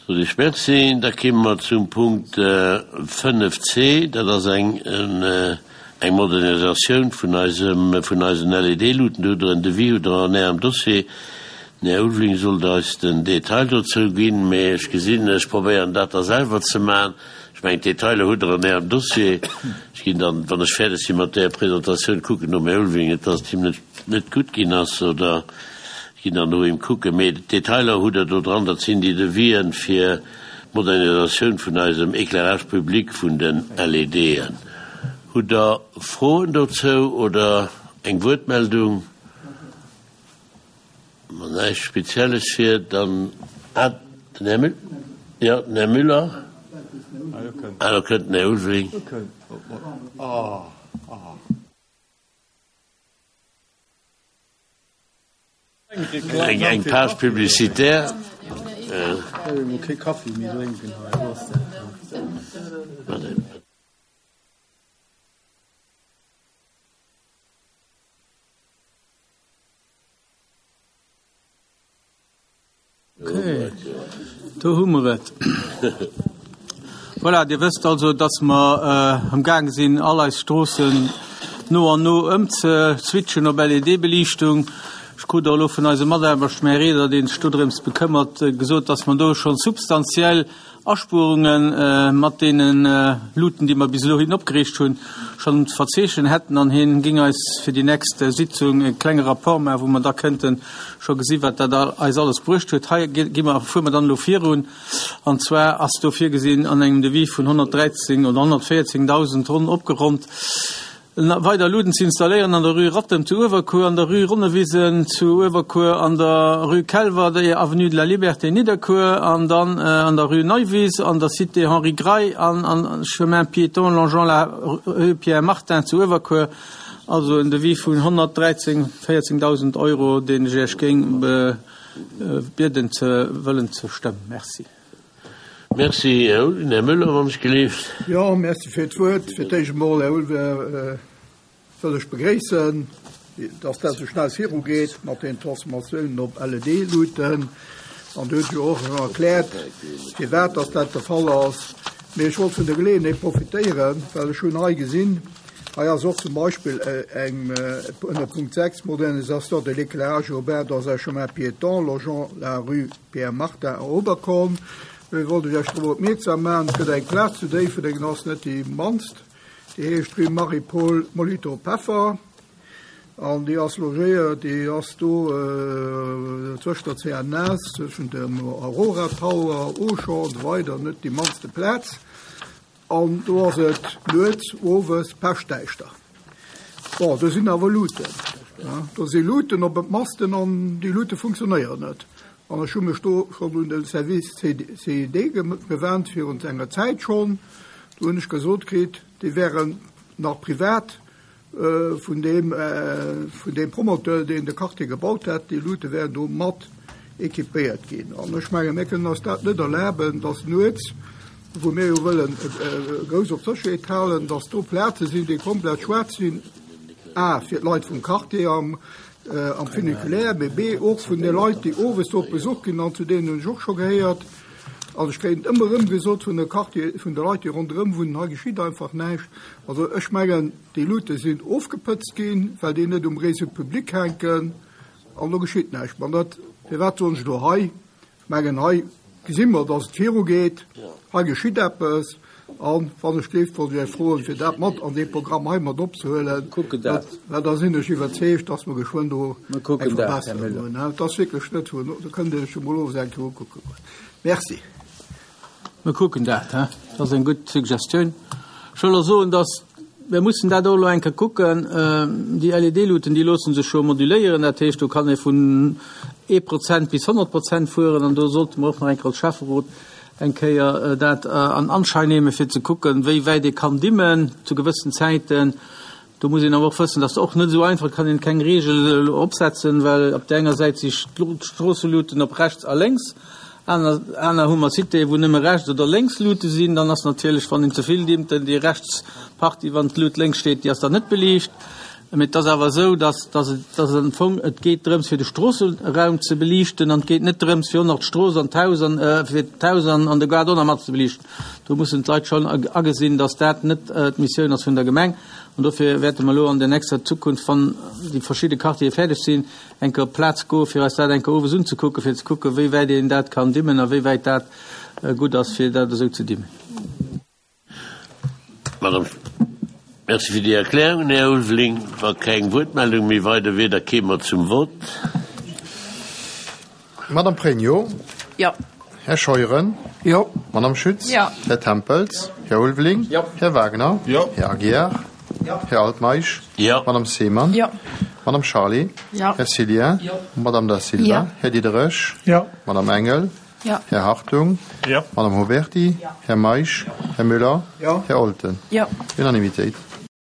Sot ech Merci. Da kéime mer zum Punkt 5 c. Dat ass eng eng Modernisatioun vun eisem, vun eisen LED-Luuten. Do hutt Der en Devis, hutt Der an Ärem Dossier. Den Här Ulveling sollt eis den Detail dozou ginn, mee ech gesinn, ech probéieren dat da selwer ze maachen. Ech mengen, d'Detailer hutt Der an Ärem Dossier. Ech ginn dann, wann ech fäerdeg si mat där Presentatioun, kucken nom Här Ulveling, net dass et him net, net gutt ginn ass, oder ech ginn dann no him kucken. Mee d'Detailer hutt Der do dran. Dat sinn déi Devisen fir d'Modernisatioun vun eisem Éclairage public vun den LEDen. Hutt Der Froen dozou oder eng Wuertmeldung? Wann näischt Spezielles wier, dann, ah, den Här Müller, jo, den Här Müller, ah, do kënnt den Här Ulveling. Eng Page publicitaire. Okay, do hu mer et. Voilà, Dir wësst also, dass mer amgaange sinn, all eis Stroossen no an no ëmzeswitchen op LED-Beliichtung. Ech krut och elo vun eisem Mataarbechter, dem Här Reder, dee sech dodrëms bekëmmert, gesot, dass mer do scho substantiell Aspuerunge mat deene Luuten, déi mer bis elo hin opgeriicht hunn, schonn ze verzeechnen hätten an hien géing eis fir déi nächst Sitzung e klenge Rapport maachen, wou mer da kënnte scho gesi wat dat eis alles bruecht huet. Hei gi mer, fuere mer dann elo virun an zwar ass do virgesinn an engem Devis vun 113 oder 114.000 ronn opgeronnt, Weider Luden ze installéieren an der Rue Rattem zu Uewerkuer, an der Rue Ronnewisen zu Uewerkuer, an der Rue Kelwer, der Avenue de la Liberté Nidderkuer an dann an der Rue Neuwies, an der Cité Henri Grey an am Chemin piéton longeant la Rue Pierre Martin zu Uewerkuer. Also en Devis vun 113 14.000 Euro, deen ech Iech géing bieden ze wëllen ze stëmmen. Merci. Merci, Här Ulveling. Här Müller, wann ech gelift. Jo, merci fir d'Wuert. Fir d'éischt emol, Här Ulveling, wëll ech begréissen, dass dat esou schnell virugeet mat den Transformatiounen op LED-Luuten. An Dir hutt jo och schon erkläert, firwat dass dat de Fall ass. Mee ech wollt vun der Geleeënheet profitéieren, well ech hunn hei gesinn, hei ass och zum Beispill eng ënner Punkt 6, Modernisation de l'éclairage urbain dans un chemin piéton longeant la rue Pierre Martin a Oberkorn, Ech wollt iech Iech drop opmierksam maachen, et gëtt eng Plaz zu Déifferdeng, ass net déi mannst, déi heescht Rue Marie-Paule Molitor-Peffer an déi ass logéiert, déi ass do zwëscht der CNS, zwëschen dem Aurora Tower, Auchan an esou weider, net déi mannste Plaz. An do ass et nuets, owes peschtdäischter. Bon, do sinn awer Luuten. Do si Luuten op et Masten an déi Luute funktionéieren net. An ech hu mech do schonn un de Service CID gewennt, virun enger Zäit schonn. Do hunn ech gesot kritt, déi wären nach privat Vun deem, vun deem Promoteur, deen de Quartier gebaut hätt, déi Luute wären do mat équipéiert ginn. An ech mengen, mir kënnen eis dat net erlaben, dass nuets, wou mir jo wëllen grouss op d'Sécherheet halen, dass do Plaze sinn, déi komplett schwaarz sinn, a fir d'Leit vum Quartier am, am Funiculaire, mee b och vun de Leit, déi owes do op Besuch ginn, an zu deenen hunn ech och scho gehéiert. Also ech kréien et ëmmer erëm gesot vun de Quartier, vun de Leit, déi ronderëm wunnen, hei geschitt einfach näischt. Also ech mengen, déi Luute sinn ofgepëtzt ginn, well déi net um Réseau public hänken an do geschitt näischt. Mä dat, firwat soen ech elo hei? Ech mengen, hei gesi mer, datt et virugeet, hei geschitt eppes. An wann ech géif, wollt ech Iech froen, fir dat mat an dee Programm hei mat opzehuelen. Kucken dat. Well da sinn ech iwwerzeegt, datt mer geschwënn do Mer kucken eng dat, Här Verbesserung Müller. hunn. Et ass wierklech net wou, do kënnt Dir lech jo mol owes eng Kéier ukucke goen. Merci. Mer kucken dat, hä? Dat ass eng gutt Suggestioun. Ech wëll och soen, datt mir mussen dat och elo eng Kéier kucken. Déi LED-Luuten, déi loosse sech jo moduléieren. Dat heescht, do kann ee vun ee Prozent bis 100 Prozent fueren. An do sollte mer och nach eng Kéier als Schäfferot eng Kéier dat an Anschein nehme fir ze kucken, wéi wäit ee kann dimmen zu gewëssen Zäiten. Do muss een awer och wëssen, dass och net esou einfach, et kann een keng Regel elo opsetzen, well op där enger Säit si d'Stroosseluten op rechts a lénks, aner aner hu mer Citéë wou nëmme rechts oder lénks Lute sinn. Dann ass natierlech, wann een ze vill dimmt, dann déi rechts Partie, wann d'Lut lénks steet, déi ass dann net beliicht. Mee et ass awer esou, dass, dass et, dass et am Fong, et geet drëms fir de Stroosseraum ze beliichten an et geet net drëms fir och nach d'Strooss an d'Haus an, fir d'Haus an, an de Gaart och nach mat ze beliichten. Do mussen d'Leit schonn agesinn, dass dat net d'Missioun ass vun der Gemeng. An dofir wäerte mer elo an der nächster Zukunft, wann déi verschidde Quartiere fäerdeg sinn, eng Kéier op d'Plaz goen, fir eis dat eng Kéier owes unzekucken, fir ze kucken, wéi wäit een dat kann dimmen a wéi wäit dat gutt ass, fir dat esou ze dimmen. Madame, Merci fir déi Erklärungen, Här Ulveling. Wa keng Wuertmeldung méi weider wier, da kéime mer zum Vott. Madame Pregno. Jo. Här Scheuren. Jo. Madame Schütz. Jo. Här Tempels. Här Ulveling. Jo. Här Wagner. Jo. Här Aguiar. Jo. Här Altmeisch. Jo. Madame Seemann. Jo. Madame Charlé. Jo. Här Cillien. Jo. Madame Da Silva. Jo. Här Diderich. Jo. Madame Engel. Jo. Här Hartung. Jo. Madame Huberty. Jo. Här Meisch. Jo. Här Müller. Jo. Här Olten. Jo. Unanimitéit.